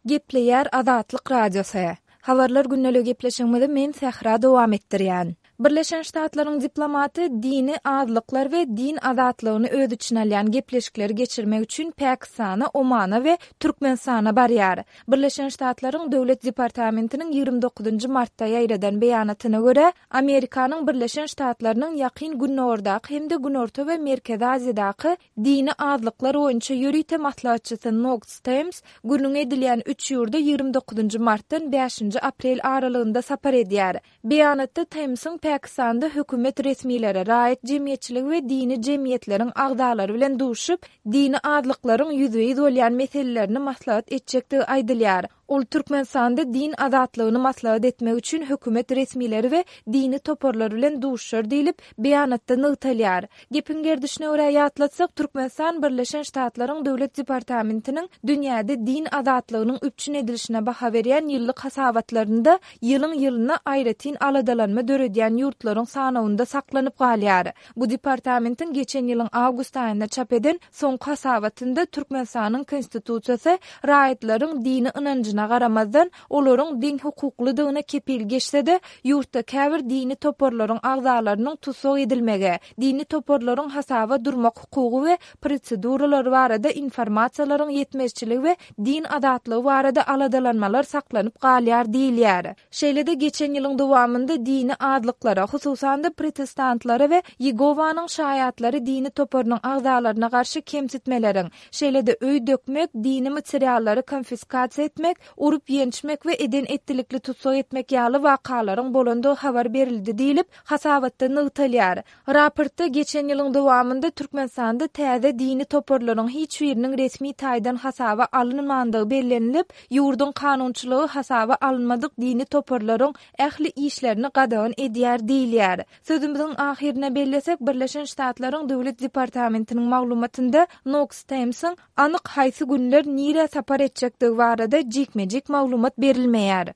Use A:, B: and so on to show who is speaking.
A: Gepleýär Azatlyk Radiosy. Habarlar gündeligi gepleşigimizi men Sähra dowam etdirýän. Birleşen Ştatlaryň diplomaty dini azlyklar we din azatlygyny öz içine alýan gepleşikleri geçirmek üçin Pakistana, Omana we Türkmenistana barýar. Birleşen Ştatlaryň Döwlet departamentiniň 29 martda ýaýradan beýanatyna görä, Amerikanyň Birleşen Ştatlarynyň Ýakyn Gündogardaky hem-de Günorta we Merkezi Aziýadaky Dini azlyklar boýunça ýörite maslahatçysy Noks Tems gürrüňi edilýän üç ýurda 29 martdan bäşinji aprel aralygynda sapar edýär. Beýanatda Temsiň Pakistanda hökümet resmileri, raýat jemgyýetçiligi we dini jemgyýetleriň agzalary bilen duşup, dini azlyklaryň ýüzbe-ýüz bolýan meselelerini maslahat etjekdigi aýdylýar. Ol Türkmenistanda din azatlygyny maslahat etmek üçin hökümet resmileri we dini toparlar bilen duşuşar diýlip, beýanatda nygtalýar. Gepiň gerdişine görä ýatlatsak, Türkmenistan Birleşen Ştatlaryň Döwlet departamentiniň dünýäde din azatlygynyň üpjün edilişine baha berýän ýyllyk hasabatlarynda ýylyň-ýylyna aýratyn aladalanma döredýän ýurtlaryň sanawynda saklanyp galýar. Bu departamentiň geçen ýylyň awgust aýynda çap eden soňky hasabatynda Türkmenistanyň Konstitusiýasy raýatlaryň dini ynanjyna garamazdan, olaryň deňhukuklydygyna kepil geçse-de, ýurtda käbir dini toparlaryň agzalarynyň tussag edilmegi, dini toparlaryň hasaba durmak hukugy we proseduralary barada informasiýalaryň ýetmezçiligi we din azatlygy barada aladalanmalar saklanyp galýar diýilýär. Şeýle-de geçen ýylyň dowamynda dini azlyklara, hususan-da protestantlara we Ýegowanyň şaýatlary dini toparynyň agzalaryna garşy kemsitmeleriň, şeýle-de öý dökmek, dini materiallary konfiskasiýa etmek, urup-ýençmek we eden-etdilikli tussag etmek ýaly wakalaryň bolandygy habar berildi diýlip, hasabatda nygtalýar. Raportda geçen ýylyň dowamynda Türkmenistanda täze dini toparlaryň hiç biriniň resmi taýdan hasaba alynmandygy bellenilip, ýurduň kanunçylygy hasaba alynmadyk dini toparlaryň ähli işlerini gadagan edýär diýilýär. Sözümiziň ahyrynda bellesek, Birleşen Ştatlaryň Döwlet departamentiniň maglumatynda Noks Temsiň anyk haýsy günler nirä sapar etjekdigi barada jikme-jik maglumat berilmeýär.